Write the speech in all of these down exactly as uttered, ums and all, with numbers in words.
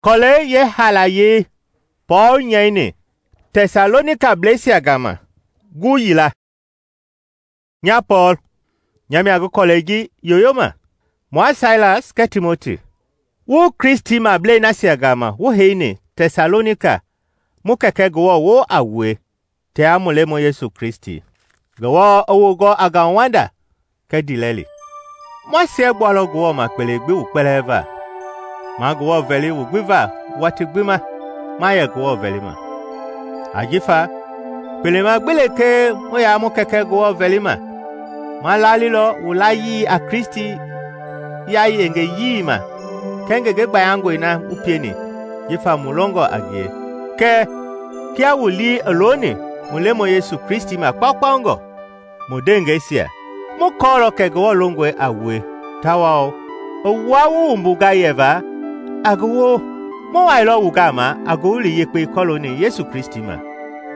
Kɔlɛi yeehaalayei Pɔɔl nyɛini Tɛsalonikablɛisia gama gu yila. Nya Pɔɔl, nya mia ngi kɔlɛi ji yoyoma, mua Sailas kɛɛ Timoti, wu Kristimablei nasia gama wu heini Tɛsalonika mu Kɛkɛ Ngewɔ woo a wue tia mu Lemɔi Yesu Kristi. Ngewɔ i wu gɔ a ngauwanda kɛɛ ndiilɛli. Ma siɛgbualɔ Ngewɔ ma kpele gbi wu kpɛlɛɛ va. Ma Ngewɔ vɛli wu gbi va watii gbi ma ma yɛ Ngewɔ vɛlima. Ajifa kpelema gbi lekee mu yaa mu Kɛkɛ Ngewɔ vɛlima, ma lalilɔ wu layii a Kristi yayengeyii ma kɛɛ ngenge gbayangɔi na wu pieni jifa mu longɔ a ngie. Kɛɛ kia wu lii i looni mu Lemɔi Yesu Kristi ma kpaukpaungɔ, mu ndeengɛisia, mu kɔɔlɔ kɛ Ngewɔ longɔe a wue tawao i wua wu wumbunga yɛva a ngi woo. Mu wailɔ wu gama a Ngowili Yekpei kɔlooni Yesu Kristi ma.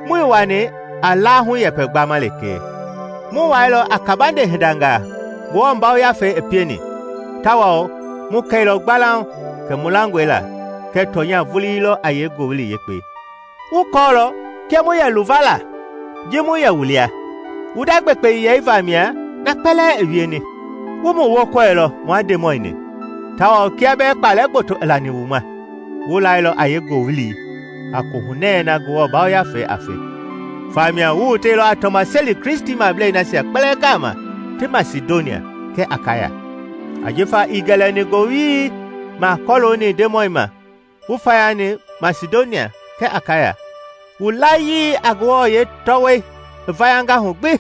Muii wani a laahu yɛpɛ gbama lekee. Mu wailɔ a kabande hindangaa Ngewɔ Yafei i pieni, tawao mu kɛilɔ gbalauŋ kɛ mu langɔe la kɛ tɔnya vulii lɔ a yee Ngowili Yekpei. Wu kɔɔlɔ kia mu yɛ luvala ji mu yɛ wu lia. Wu nda gbekpeyɛi vamia na kpɛlɛɛ i wieni. Wu mu wokɔilɔ mua Ndemɔi-ni, tawao kia bɛɛ kpalɛ gboto i lani wu ma, wu lailɔ a yee ngowili a kohunɛɛ na Ngewɔ Yafei a fe. Famia wu woteilɔ a tɔmaseli Kristimablei nasia kpɛlɛɛ gama ti Masidonia kɛɛ Akaya. Ajifa ii gɛlɛni ngowili ma kɔlooni Ndemɔi ma wu fayani Masidonia kɛɛ Akaya, wu layii a Ngewɔ yeetɔwɔi i vayanga hu gbi.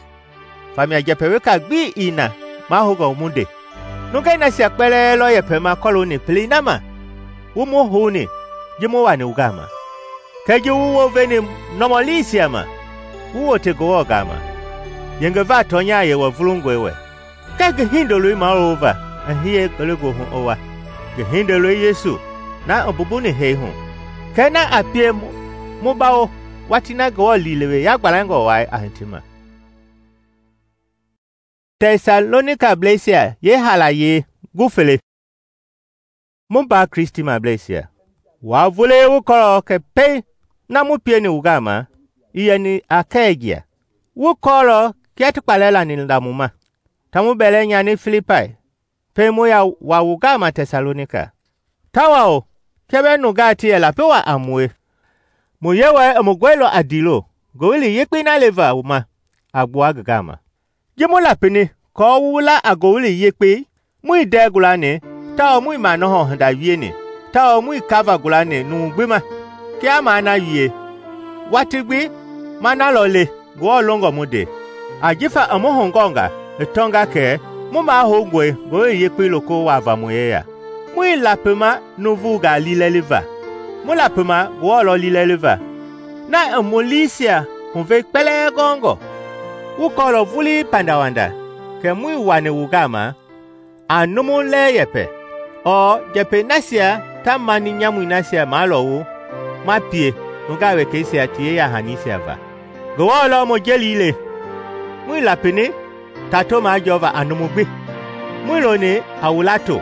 Famia njɛpɛ weka gbi ii na mahoungɔ mu nde. Nungei nasia kpɛlɛɛ lɔ yɛpɛma kɔlooni pelei na ma wu mu houni ji mu wani wu gama. Kɛɛ ji wu woveni nɔmɔliisia ma, wu wote Ngewɔ gama, yengeva tɔnya yewɔ vulungɔe wɛ. Kɛɛ ngi Hindoloi mawulova i hiye ngelegoohu i wa, ngi Hindoloi Yesu na i mbumbuni hee hu, kɛɛ na a pie mu bawo watii na Ngewɔ liilewe yagbalɛngɔ wai a hitima. Tɛsalonikablɛisia yeehaalayei gu fele. Mu mbaa Kristimableisia, waa vulii wu kɔɔlɔ kɛ pɛiŋ na mu pieni wu gama i yɛni Akɛɛjia. Wu kɔɔlɔ kia ti kpalɛ lani la mu ma, ta mu bɛlɛ nyani Filipai, pɛiŋ mu ya wa wu gama Tɛsalonika. Tawao kia bɛɛ nungaa ti yɛ lapi wa a mue, mu Yewɔɛi i mu gɔilɔ a ndiilo Ngowili Yekpei na leva wu ma a gbua ngi gama. Ji mu lapini kɔɔ wu la a Ngowili Yekpei, muii ndɛɛ gulani tawao muii manɔhɔ hinda wieni, tawao muii kava gulani numu gbi ma. Kia maa na wie, watii gbi ma nalɔ le Ngewɔ longɔ mu nde. Ajifa i mu hugɔnga i tɔnga kɛ mu mahoungɔe Ngowili Yekpei loko wava mu yeya. Muii lapima nuuvungaa liilɛli va, mu lapima Ngewɔ lɔ liilɛli va, na i mu liisia huvei kpɛlɛɛ gɔngɔ. Wu kɔɔlɔ vulii pandawanda kɛ muii wani wu gama a numu lɛɛ yɛpɛ, ɔɔ njɛpɛi nasia ta mani nyamui nasia malɔ wu ma pie nungaa wekeisia ti yeya-hanisia va. Ngewɔ lɔ mu jelii le, muii lapini ta to majɔɔva a numu gbi, muii loni a wu lato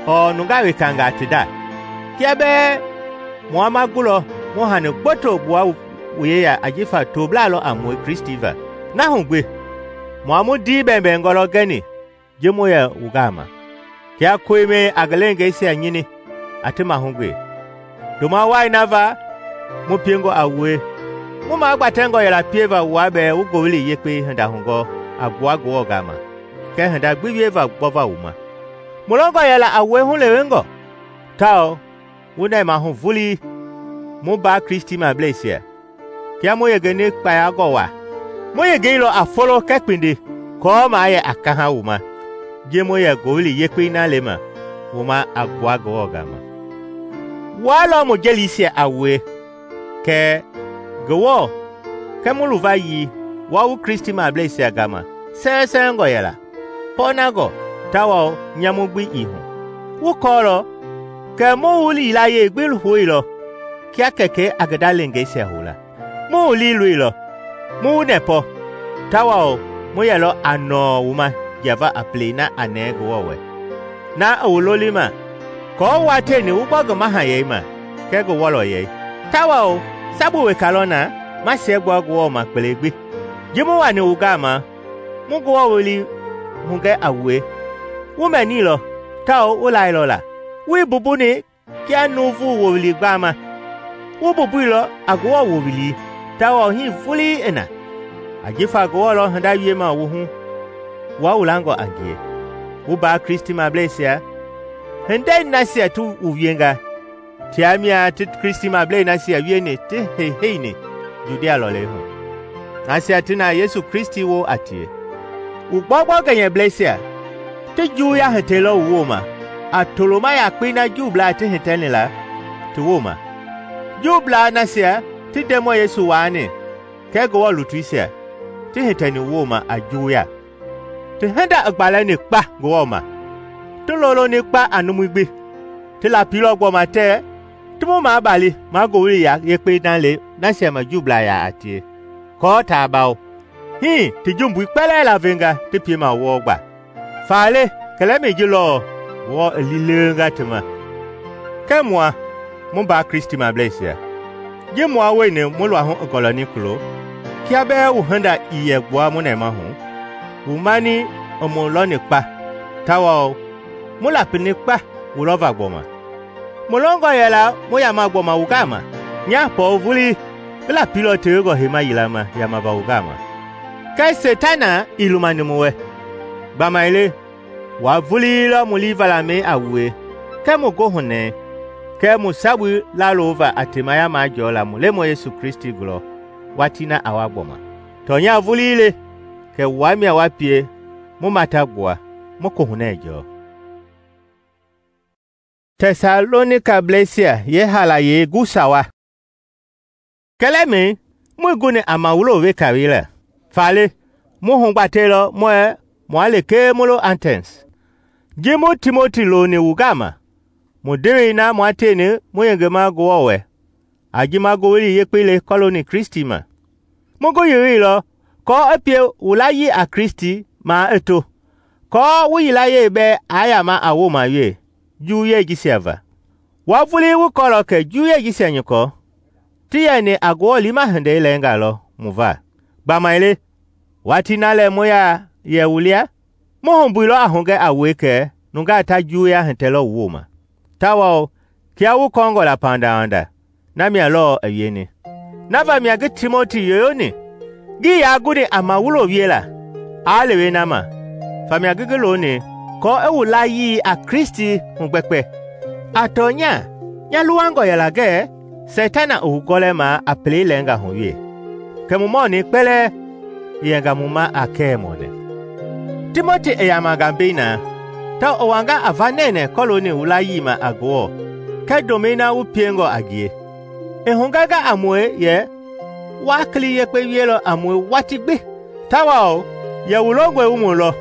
ɔɔ nungaa wekangaa ti nda. Kia bɛɛ mua ma gulɔ mu hani gboto gbua wu yeya ajifa toblaa lɔ a mue Kristi va. Na hu gbi, mua mu ndii bɛɛbɛɛngɔ lɔ gɛni ji mu yɛ wu gama. Kia koimɛi a ngi leengeisia nyini a ti mahugbe. Ndoma wai na va mu piengɔ a wue, mu magbatɛngɔ yɛla pieva wua bɛɛ wu Ngowili Yekpei hinda hugɔ a gbua Ngewɔ gama, kɛɛ hinda gbi wieva gbɔva wu ma. Mu longɔ yɛla a wue hulewengɔ, tawao wu nɛmahu vulii mu mbaa Kristimableisia. Kia mu yengeni kpayangɔ waa, mu yengeilɔ a folo kɛɛ kpindi kɔɔ maa yɛ a kaha wu ma, ji mu yɛ Ngowili Yekpei na lema wu ma a gbua Ngewɔ gama. Waa lɔ mu jeliisia a wue, kɛ Ngewɔ kɛ mu luvayii wa wu Kristimableisia gama sɛɛsɛɛngɔ yɛla, pɔɔnangɔ tawao nyamu gbi ii hu. Wu kɔɔlɔ kɛ mu wu liilayei gbi hoilɔ kia Kɛkɛi a ngi ndaleengeisia houla. Mu wu lii loilɔ, mu wu nɛpɔ, tawao mu yɛlɔ a nɔɔ wu ma jiava a pelei na a nɛɛ Ngewɔ wɛ, na i wu lolima kɔɔ wa tieni wu gbɔ ngi mahayɛi ma kɛɛ ngi wɔlɔyɛi. Tawao sabu weka lɔ na ma siɛgbua Ngewɔ ma kpele gbi. Ji mu wani wu gama, mu Ngewɔ welei hugɛ a wue. Wu mɛnilɔ tawao wu lailɔ la. Wuii bumbuni kia nuuvu wowili gbama. Wu bumbuilɔ a Ngewɔ wowili tawao hii vulii i na. Ajifa Ngewɔ lɔ hinda wiema wu hu wua wu langɔ a ngie. Wu mbaa Kristimableisia, hindei nasia ti wu wienga tia mia ti Kristimablei nasia wieni ti heiheini Judia lɔlei hu, nasia ti na Yesu Kristi wo a tie. Wu gbɔugbɔ gɛnyɛbleisia ti juwuya hitɛilɔ wu wooma a toloma yakpei na Juublaa ti hitɛni la ti wooma. Juublaa nasia ti Ndemɔi Yesu waani kɛɛ Ngewɔ lutuisia ti hitɛni wu wooma a juwuya. Ti hinda i gbalɛni kpa Ngewɔ ma, ti loloni kpa a numui gbi, ti lapilɔ gbɔma tɛɛ ti mu mabali ma Ngowili Yekpei na le nasia ma Juublaa yaa a tie, kɔɔ taa bawo. Hii ti jumbui kpɛlɛɛ lavenga ti piema wɔɔ gba. Faale kɛlɛmɛi ji lɔɔ Ngewɔ i liileenga ti ma. Kɛɛ mua, mu mbaa Kristimableisia, ji mua wueni mu luahu i gɔlɔni kulo, kia bɛɛ wu hinda ii yɛ gbua mu nɛmahu, wu mani i mu lɔni kpa, tawao mu lapini kpa wu lɔva gbɔma. Mu lɔngɔ yɛla mu yama gbɔma wu gama, nya Pɔɔl vulii i lapilɔ tewengɔ heima yila ma yamava wu gama. Kɛɛ Setana ii lumani mu wɛ. Gbamaile wa vulii lɔ mu liivalamɛi a wue, kɛɛ mu goohunɛɛ, kɛɛ mu sabui lalova a temaya majɔɔ la mu Lemɔi Yesu Kristi gulɔ watii na a wa gbɔma. Tɔnya vulii le kɛ wua mia wa pie mu mata gbua mu kohunɛ jɔɔ. Tɛsalonikablɛisia yehalayei gu sawa. Kɛlɛmɛi mui guni a mawulo weka wei lɛ. Faale mu hugbateilɔ muɛ mua lekee mu lo Antens. Ji mu Timoti loni wu gama, mu ndewei na mua tieni mu yengema Ngewɔ wɛ, a ji ma Ngowili Yekpei le kɔloni Kristi ma. Mu ngi yireilɔ kɔɔ i pie wu layii a Kristi maa i to, kɔɔ wu yilayei bɛɛ aa yama a wooma wie juwuyei jisia va. Wa vulii wu kɔɔlɔ kɛ juwuyei jisia nyɔkɔ ti yɛni a Ngewɔ liima hindei lɛɛnga lɔ mu va. Gbamaile watii na lɛ mu yaa yɛ wu lia, mu humbuilɔ a hugɛ a wue kɛ nungaa ta juwuya hitɛlɔ wu wooma, tawao kia wu kɔɔngɔ la pandawanda, na mia lɔɔ i wieni. Na vamia ngi Timoti yoyoni, ngii yaa guni a mawulo wie la, aa lewe na ma, famia ngi ngi loni kɔɔ i wu layii a Kristi hugbɛkpɛ. A tɔnya, nya luwangɔ yɛla gɛɛ Setana i wu gɔlɛma a pelei lɛɛnga hu wie, kɛ mu mɔɔni kpɛlɛɛ i yɛnga mu ma a kɛɛ mɔɔnɛ. Timoti i yamanga mbei na, ta i wanga a va nɛnɛ kɔloni wu layii ma a Ngewɔ, kɛ domɛi na wu piengɔ a ngie. I hugɛnga a mue yɛ waa kili yekpe wielɔ a mue waati gbi, tawao yɛ wu longɔe wu mu lɔ,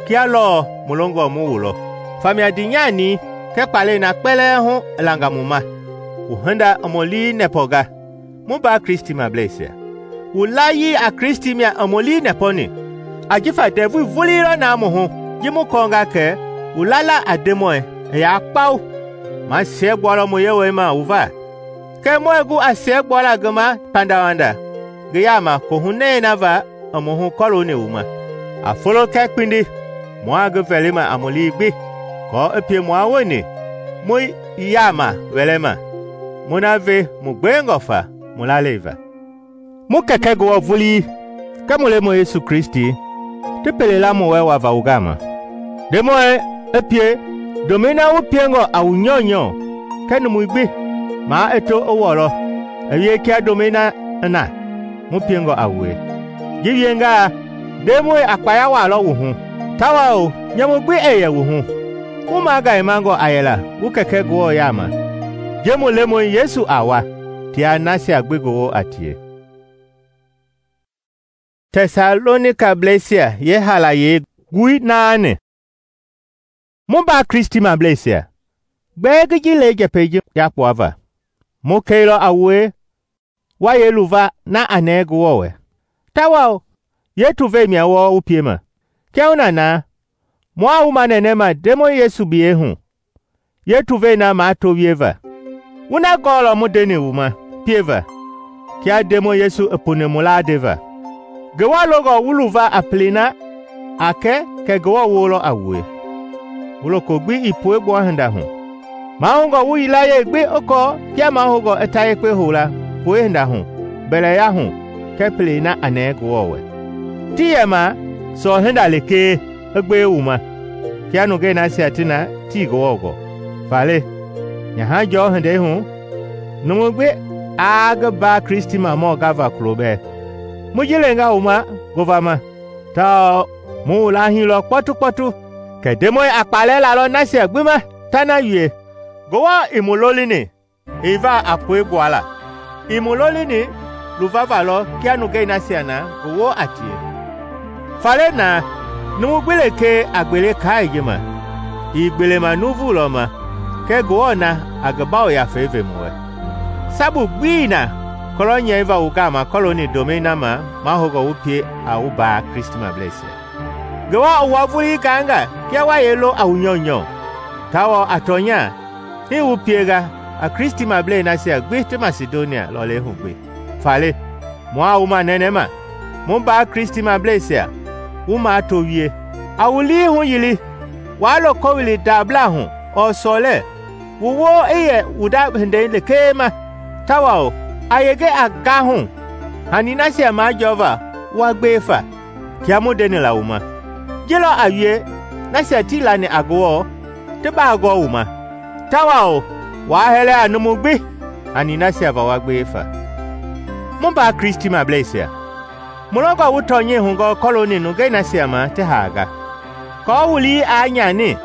kia lɔɔ mu longɔ mu wu lɔ. Famia dinyani kɛ kpalɛi na kpɛlɛɛ hu i langa mu ma. Wu hinda i mu lii nɛpɔnga, mu mbaa Kristimableisia. Wu layii a Kristi mia i mu lii nɛpɔni, ajifa ndɛvui vuliilɔ na mu hu ji mu kɔɔnga kɛ wu lala a Ndemɔi i yaa kpao. Ma siɛgbualɔ mu yewɔi ma wu va, kɛ muɛ gu a siɛgbuala ngi ma pandawanda ngi yaama kohunɛi na va i mu hu kɔloni wu ma. A folo kɛ kpindi mua ngi vɛlima a mu lii gbi, kɔɔ i pie mua woni mu yaama wɛlɛma, mu na ve mu gbengɔ fa mu lalei va. Mu Kɛkɛ Ngewɔ vulii kɛ mu Lemɔi Yesu Kristi ti pele la mu wɛ wava wu gama. Ndemɔi i pie domɛi na wu piengɔ a wu nyɔunyɔ kɛ numui gbi maa i to i wɔlɔ i wie kia domɛi na i na mu piengɔ a wue. Ji wiengaa, Ndemɔi a kpaya walɔ wu hu, tawao nyamu gbi i yɛ wu hu. Wu magaimangɔ a yɛla wu Kɛkɛ Ngewɔ yaama. Je mu Lemɔi Yesu a wa, tia nasia gbi Ngewɔ a tie. Tɛsalonikablɛisia yehalayei gui naani. Mu mbaa Kristimableisia, gbɛɛ ngi ji le njɛpɛi ji yakpua va. Mu keilɔ a wue wa yeluva na a nɛɛ Ngewɔ wɛ, tawao yetuvei mia wɔɔ wu piema. Kiahuna na, mua wu manɛnɛma Ndemɔi Yesu biyɛi hu, yetuvei na maa to wieva. Wu na gɔɔlɔ mu ndeni wu ma pieva kia Ndemɔi Yesu i puni mu laa ndeva. Ngewɔ longɔ wu luva a pelei na a kɛ kɛ Ngewɔ woo lɔ a wue. Wu loko gbi ii puegbua hinda hu. Mahoungɔ wu yilayee gbi i kɔɔ kia mahoungɔ i ta yekpe houla pue hinda hu, mbɛlɛya hu kɛɛ pelei na a nɛɛ Ngewɔ wɛ. Tii yɛ ma sɔɔ hinda lekee i gbewe wu ma kia nungei nasia ti na tii Ngewɔ gɔɔ. Faale, nyaha jɔɔ hindei hu, numu gbi aa ngi mbaa Kristimamɔ gava kulo bɛɛ. Mu ji lenga wu ma ngovama tawao mu wu laahilɔ kpɔtukpɔtu kɛ Ndemɔi a kpaalɛ lalɔ nasia gbi ma ta na wie. Ngewɔ ii mu lolini ii va a puegbuala, ii mu lolini luvava lɔ kia nungei nasia na ngi woo a tie. Faale na, numu gbi lekee a gbele kaai ji ma, ii gbelema nuuvu lɔ ma kɛɛ Ngewɔ na a ngi Yafei ve mu wɛ. Sabu gbii na kɔlɔ nyɛiva wu gama kɔlooni domɛi na ma mahoungɔ wu pie a wu mbaa Kristimableisia. Ngewɔ i wua vulii gaanga kia wa yee lo a wu nyɔunyɔ, tawao a tɔnya hii wu pienga a Kristimablei nasia gbi ti Masidonia lɔlei hu gbi. Faale, mua wu manɛnɛma, mu mbaa Kristimableisia, wu mato wie. A wu lii huyili, waa lo kɔwili ndabla hu ɔɔ sɔlɛ, wu woo i yɛ wu nda hindei lekee ma, tawao a yenge a gahu hani nasia majɔɔva wa gbewe fa kia mu ndeni la wu ma. Ji lɔ a wie nasia tii lani a Ngewɔ ti baa gɔɔ wu ma, tawao waa hɛlɛ a numu gbi hani nasia va wa gbewe fa. Mu mbaa Kristimableisia, mu longɔ wu tɔnyɛi hugɔ kɔlooni nungei nasia ma ti haanga, kɔɔ wu lii aa nyani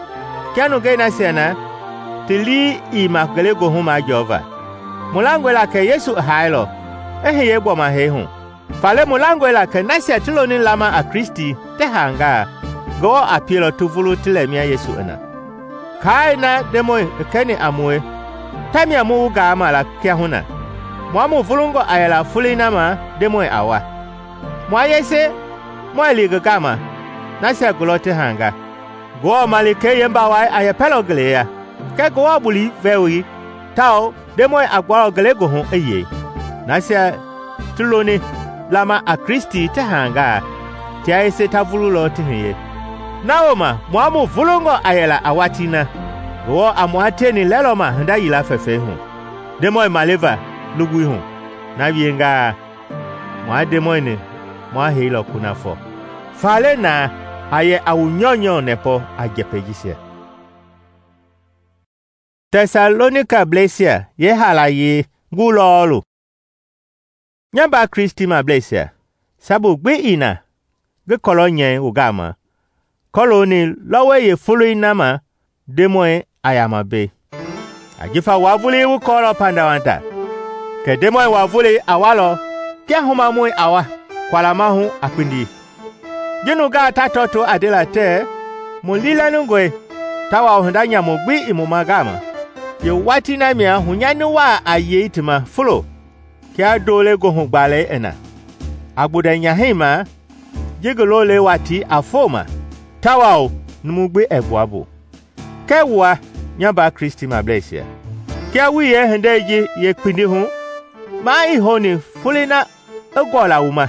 kia nungei nasia na ti lii ii ma ngelegoohu majɔɔva. Mu langɔe la kɛ Yesu i haailɔ i hiye gbɔmahɛi hu. Faale mu langɔe la kɛ nasia ti loni lama a Kristi ti haangaa, Ngewɔ a pielɔ ti vulu ti lɛmia Yesu i na. Kaai na Ndemɔi i kɛni a mue, tamia mu wu gaama la kiahuna, mua mu vulungɔ a yɛla foloi na ma Ndemɔi a wa. Mua yese muɛɛ li ngi gama nasia gulɔ ti haanga. Ngewɔ malikei yeembawai a yɛpɛlɔ ngeleya, kɛɛ Ngewɔ buli vɛwoi tawao Ndemɔi a gbualɔ ngelegoohu i yei. Nasia ti loni lama a Kristi ti haangaa, tia yese ta vululɔ ti hiye. Na wooma mua mu vulungɔ a yɛla a watii na, Ngewɔ a mua tieni lɛlɔma hinda yila fɛfɛi hu, Ndemɔi maleva lugui hu. Na wiengaa, mua Ndemɔi-ni mua heilɔ kunafɔ. Faale na, a yɛ a wu nyɔunyɔ nɛpɔ a njɛpɛi jisia. Tɛsalonikablɛisia yeehaalayei ngu lɔɔlu. Nya mbaa Kristimableisia, sabu gbi ii na ngi kɔlɔ nyɛi wu gama kɔlooni lɔwɔi yeefoloi na ma Ndemɔi a yama mbei. Ajifa wua vulii wu kɔɔlɔ pandawanda, kɛ Ndemɔi wua volei a walɔ kia humamɔi a wa kwalama hu a kpindi. Ji nungaa ta tɔto a ndela tɛɛ mu liilɛningɔe tawao hinda nyamu gbi i mu ma gama. Ye watii na mia hunyani waa a yei ti ma fulo kia doole goohu gbaalɛi i na. A gbundɛ nyahɛi ma ji ngi lolei watii a foma, tawao numu gbi ɛɛ gbua bu. Kɛɛ wua, nya mbaa Kristimableisia, kia wu yee hindei ji yeekpindi hu, maa ii houni foloi na i gɔɔla wu ma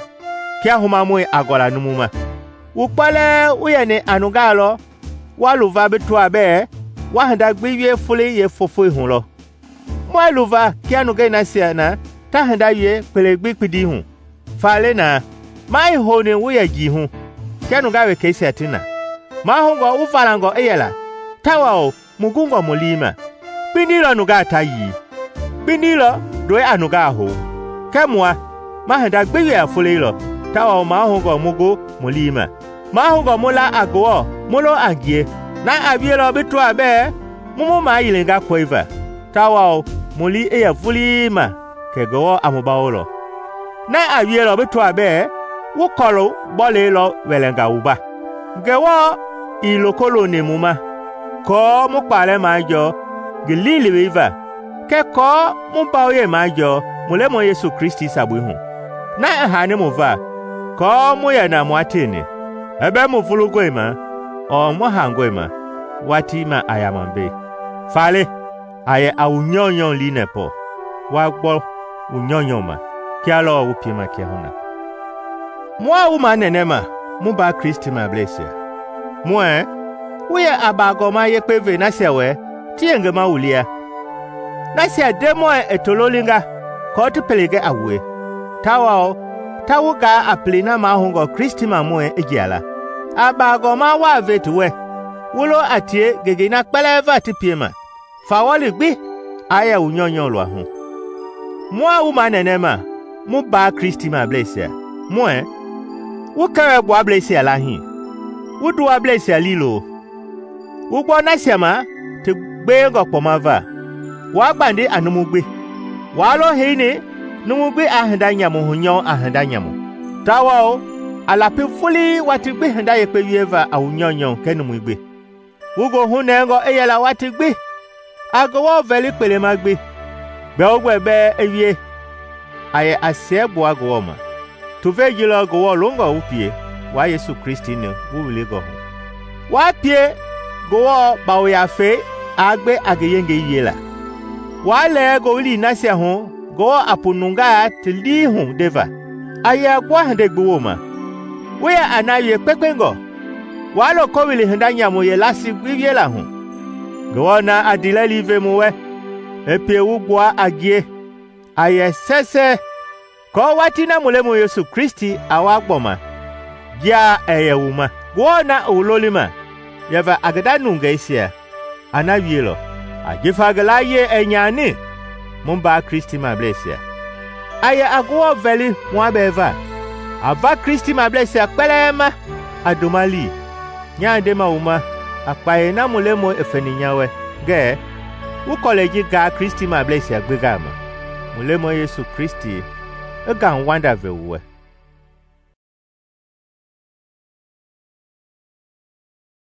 kia humamɔi a gɔla numu ma. Wu kpɛlɛɛ wu yɛni a nungaa lɔ wa luva bi tɔa bɛɛ wa hinda gbi wie foloi yeefofoi hu lɔ. Muɛɛ luva kia nungei nasia na ta hinda wie kpele gbi kpindi hu. Faale na, maa ii houni wu yɛ jii hu kia nungaa wekeisia ti na. Mahoungɔ wu valangɔ i yɛla, tawao mu gungɔ mu lii ma. Kpindi lɔ nungaa ta yii, kpindi lɔ ndɔi a nungaa hou. Kɛɛ mua, ma hinda gbi wie a foloi lɔ, tawao mahoungɔ mu gu mu lii ma. Mahoungɔ mu la a Ngewɔ mu lo a ngie, na a wielɔ bi tɔa bɛɛ mu mu mayilinga kɔiva, tawao mu lii i yɛ vulii ma kɛ Ngewɔ a mu bawolɔ. Na a wielɔ bi tɔa bɛɛ wu kɔlu bɔlei lɔ wɛlɛnga wu ba. Ngewɔ ii loko loni mu ma kɔɔ mu kpaalɛ majɔɔ ngi liiliwei va, kɛ kɔɔ mu bawoyei majɔɔ mu Lemɔi Yesu Kristi sabui hu. Na i haani mu va kɔɔ mu yɛ na mua tieni, ɛbɛ mu vulungɔe ma ɔɔ mu haangɔe ma, watii ma a yama mbei. Faale, A yɛ a wu nyɔunyɔ liinɛpɔ wa gbɔ wu nyɔunyɔ ma kia lɔɔ wu piema kiahuna. Mua wu manɛnɛma mu mbaa Kristimableisia. Muɛɛ wu yɛ a baagɔma yekpe ve nasia wɛ ti yengema wu lia, nasia Ndemɔi i to lolinga aako ti pele gɛ a wue, tawao ta wu gaa a pelei na mahoungɔ Kristimamɔi i jia la. A baagɔma waa ve ti wɛ, wu lo a tie ngengei na kpɛlɛɛ va ti piema, fawɔli gbi aa yɛ wu nyɔunyɔ luahu. Mua wu manɛnɛma mu mbaa Kristimableisia. Muɛɛ wu kɛwɛ-gbuablɛisia lahii, wu nduwableisia liilo, wu gbɔ nasia ma ti gbewengɔ kpɔma va, waa gbandi a numu gbi, waa lo heini numu gbi aa hinda nyamu hunyɔ a hinda nyamu, tawao a lapi vulii watii gbi hinda yekpe wieva a wu nyɔunyɔ kɛɛ numui gbi. Wu goohu nɛngɔ i yɛla watii gbi a Ngewɔ vɛli kpelema gbi, gbɛogbɛ bɛɛ i wie a yɛ a siɛgbua Ngewɔ ma. Tuvei ji lɔ Ngewɔ longɔ wu pie waa Yesu Kristi-ni wu wilingɔ hu. Waa pie Ngewɔ Yafei aa gbe a ngi yengei wiela. Waa lɛɛ ngowili nasia hu Ngewɔ a pu nungaa ti lii hu ndeva, a yɛ a gbua hindei gbi wooma. Wu yɛ a na wie kpekpengɔ, waa loko wili hinda nyamu yeelasi gbi wiela hu. Ngewɔ na a ndiilɛli ve mu wɛ, i pie wu gbua a ngie, a yɛ sɛsɛ, aako watii na mu Lemɔi Yesu Kristi a wa gbɔma, jia ɛɛ yɛ wu ma. Ngewɔ na i wu lolima yɛva a ngi nda nungeisia, a na wielɔ, ajifa ngi layie ɛɛ nyani mu mbaa Kristimableisia. A yɛ a Ngewɔ vɛli mua bɛɛ va, a va Kristimableisia kpɛlɛɛ ma a ndoma lii. Nyaa ndema wu ma a kpayei na mu Lemɔi i feni nya wɛ ngɛɛ wu kɔlɛi ji gaa Kristimableisia gbi gama. Mu Lemɔi Yesu Kristi i gaŋ wanda ve wu wɛ.